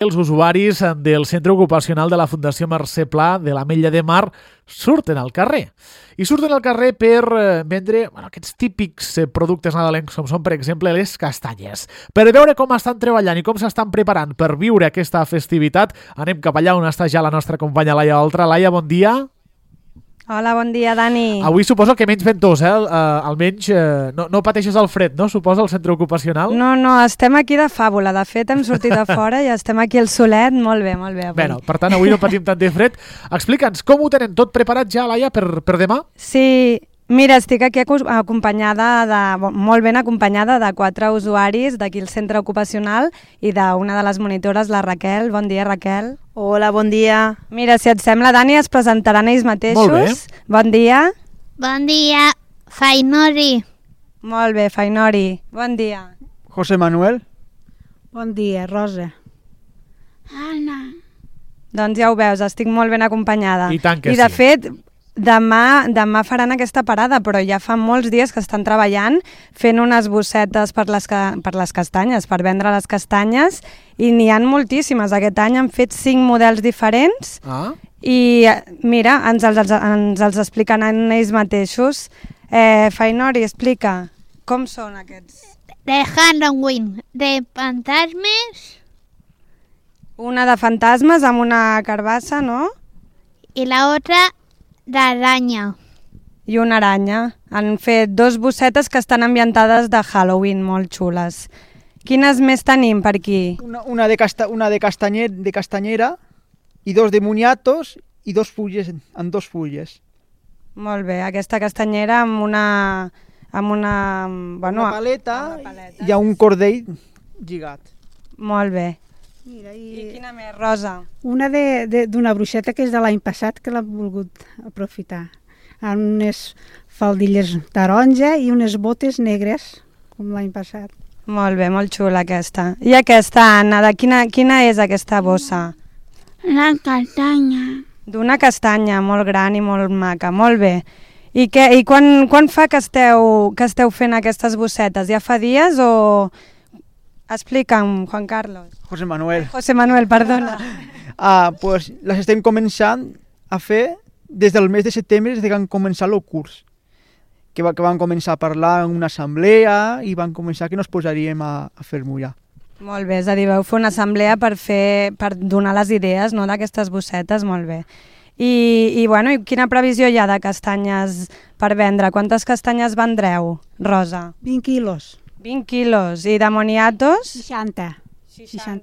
Els usuaris del centre ocupacional de la Fundació Mercè Pla de l'Ametlla de Mar surten al carrer. I surten al carrer per vendre aquests típics productes nadalencs com són, per exemple, les castanyes. Per veure com estan treballant i com s'estan preparant per viure aquesta festivitat, anem cap allà on està ja la nostra companya Laia Oltra. Laia, bon dia. Hola, bon dia, Dani. Avui suposo que menys ventós, almenys no pateixes el fred, no? Suposa, al centre ocupacional? No, estem aquí de fàbula. De fet, hem sortit a fora i estem aquí al solet. Molt bé avui. Bé, per tant, avui no patim tant de fred. Explica'ns, com ho tenen tot preparat ja, Laia, per demà? Sí, mira, estic aquí molt ben acompanyada de 4 usuaris d'aquí al centre ocupacional i d'una de les monitores, la Raquel. Bon dia, Raquel. Hola, bon dia. Mira, si et sembla, Dani, es presentaran ells mateixos. Molt bé. Bon dia. Bon dia, Fainori. Molt bé, Fainori. Bon dia. José Manuel. Bon dia, Rosa. Anna. Doncs ja ho veus, estic molt ben acompanyada. I tant que I de sí. fet, demà faran aquesta parada, però ja fa molts dies que estan treballant fent unes bossetes per les castanyes, per vendre les castanyes, i n'hi han moltíssimes. Aquest any han fet 5 models diferents i mira, ens els explicaran ells mateixos. Fainori, explica, com són aquests? De Halloween, de fantasmes Una de fantasmes amb una carbassa, no? y la otra de araña. I una aranya. Han fet 2 bossetes que estan ambientades de Halloween, molt xules. Quines més tenim per aquí? Una de castanyera i 2 de moniatos i 2 fulles, amb 2 fulles. Molt bé, aquesta castanyera amb una paleta i un cordell lligat. Molt bé. Mira, I quina més, Rosa? Una d'una bruixeta que és de l'any passat, que l'hem volgut aprofitar. Amb unes faldilles taronja i unes botes negres, com l'any passat. Molt bé, molt xula aquesta. I aquesta, Anna, de quina és aquesta bossa? La castaña. D'una castanya molt gran i molt maca, molt bé. I quan fa que esteu fent aquestes bossetes? Ja fa dies o...? Explica'm, Juan Carlos. José Manuel. José Manuel, perdona. Pues les estem començant a fer des del mes de setembre, des que van començar el curs. Que van començar a parlar en una assemblea i van començar que nos posaríem a fer-m'ho ja. Molt bé, és a dir, vau fer una assemblea per donar les idees, no, d'aquestes bossetes, molt bé. I quina previsió hi ha de castanyes per vendre? Quantes castanyes vendreu, Rosa? 20 quilos. 20 quilos. I de moniatos? 60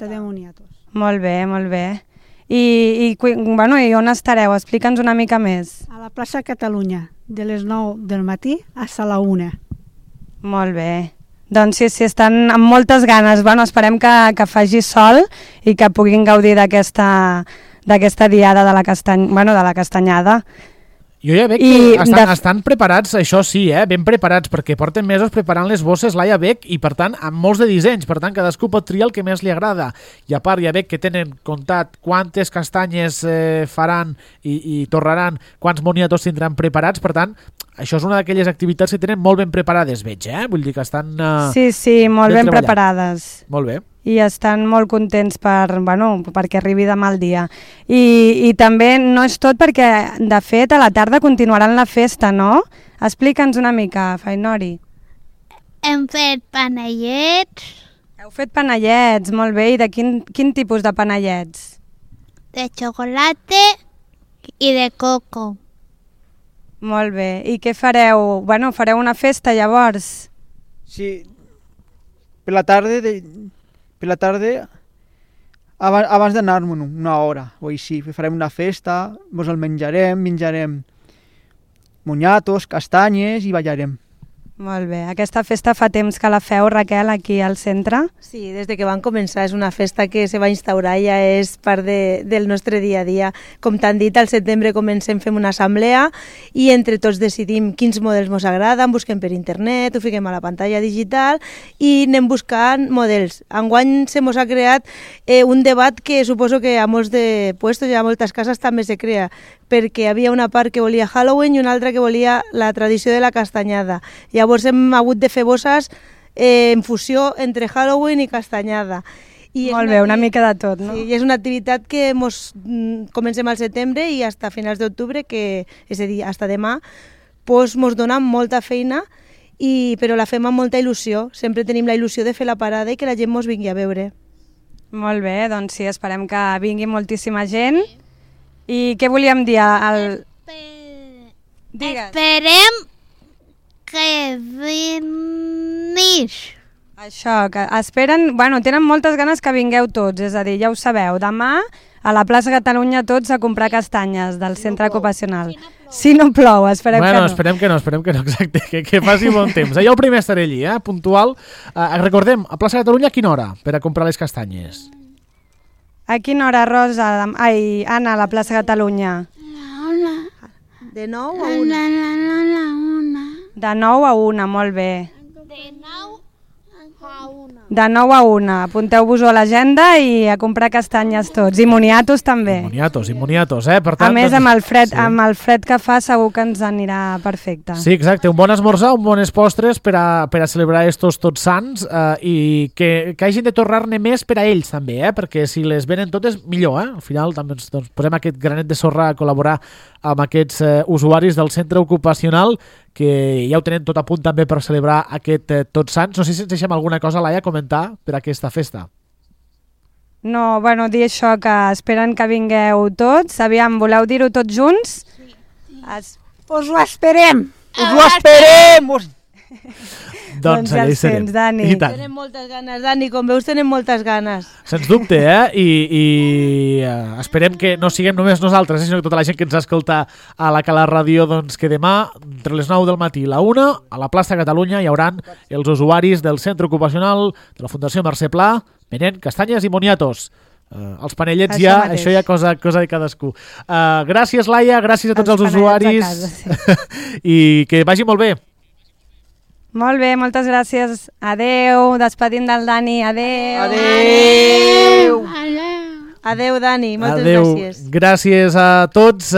de moniatos. Molt bé, molt bé. I on estareu? Explica'ns una mica més. A la plaça Catalunya, de les 9 del matí a la 1. Molt bé. Doncs sí, estan amb moltes ganes. Esperem que faci sol i que puguin gaudir d'aquesta diada de la castanyada. Jo ja veig que estan preparats, això sí, ben preparats, perquè porten mesos preparant les bosses, Laia, veig, i per tant amb molts de dissenys, per tant cadascú pot triar el que més li agrada. I a part ja veig que tenen comptat quantes castanyes faran i torraran, quants moniatos tindran preparats, per tant, això és una d'aquelles activitats que tenen molt ben preparades, veig, Vull dir que estan... Sí, molt ben preparades. Molt bé. I estan molt contents perquè arribi demà el dia. I també no és tot perquè, de fet, a la tarda continuaran la festa, no? Explica'ns una mica, Fainori. Hem fet panellets. Heu fet panellets, molt bé. I de quin tipus de panellets? De chocolate i de coco. Molt bé. I què fareu? Fareu una festa, llavors? Sí, per la tarda, abans d'anar-me'n una hora o així, farem una festa, ens el menjarem moniatos, castanyes i ballarem. Molt bé. Aquesta festa fa temps que la feu, Raquel, aquí al centre? Sí, des de que van començar. És una festa que se va instaurar, ja és part del nostre dia a dia. Com t'han dit, al setembre fem una assemblea i entre tots decidim quins models ens agraden, busquem per internet, ho fiquem a la pantalla digital i anem buscant models. Enguany se mos ha creat un debat que suposo que a molts de puestos i a moltes cases també se crea, perquè hi havia una part que volia Halloween i una altra que volia la tradició de la castanyada. Llavors hem hagut de fer bosses en fusió entre Halloween i castanyada. Molt bé, una mica de tot, no? Sí, i és una activitat que comencem al setembre i fins a finals d'octubre, és a dir, fins a demà, mos dona molta feina, però la fem amb molta il·lusió. Sempre tenim la il·lusió de fer la parada i que la gent mos vingui a veure. Molt bé, doncs sí, esperem que vingui moltíssima gent. I què volíem dir? Digues. Esperem que vinguis. Això, que esperen, tenen moltes ganes que vingueu tots, és a dir, ja ho sabeu, demà a la plaça Catalunya tots a comprar castanyes del centre ocupacional. Si no plou, esperem que no. Esperem que no, exacte, que faci bon temps. Jo primer estaré allí, puntual. Recordem, a plaça Catalunya a quina hora per a comprar les castanyes? A quina hora, Rosa? Ai, Anna, a la plaça Catalunya. De 9 a 1. De 9 a 1, molt bé. De 9 a 1. De 9 a 1. Apunteu-vos-ho a l'agenda i a comprar castanyes tots. I moniatos també. I moniatos, Per tant, a més, amb el fred que fa segur que ens anirà perfecte. Sí, exacte. Un bon esmorzar, un bones postres per a celebrar estos Tots Sants i que hagin de tornar-ne més per a ells també, perquè si les venen totes, millor, Al final també ens posem aquest granet de sorra a col·laborar amb aquests usuaris del centre ocupacional que ja ho tenen tot a punt també per celebrar aquest Tots Sants. No sé si ens deixem alguna cosa, Laia, a comentar per a aquesta festa. No, dir això, que esperen que vingueu tots. Aviam, voleu dir-ho tots junts? Sí. Us ho esperem! Us ho esperem! Doncs ja el sents, Dani. Tenen moltes ganes, Dani, com veus tenen moltes ganes. Sens dubte, I esperem que no siguem només nosaltres, sinó que tota la gent que ens escolta a la Cala Ràdio, doncs que demà, entre les 9 del matí i la 1, a la plaça Catalunya hi hauran els usuaris del centre ocupacional de la Fundació Mercè Pla venent castanyes i moniatos. Els panellets això ja cosa de cadascú. Gràcies, Laia, gràcies a tots els usuaris casa, sí. I que vagi molt bé. Molt bé, moltes gràcies. Adeu, despedim del Dani. Adeu. Adeu. Adeu, Dani, moltes gràcies. gràcies. Gràcies a tots.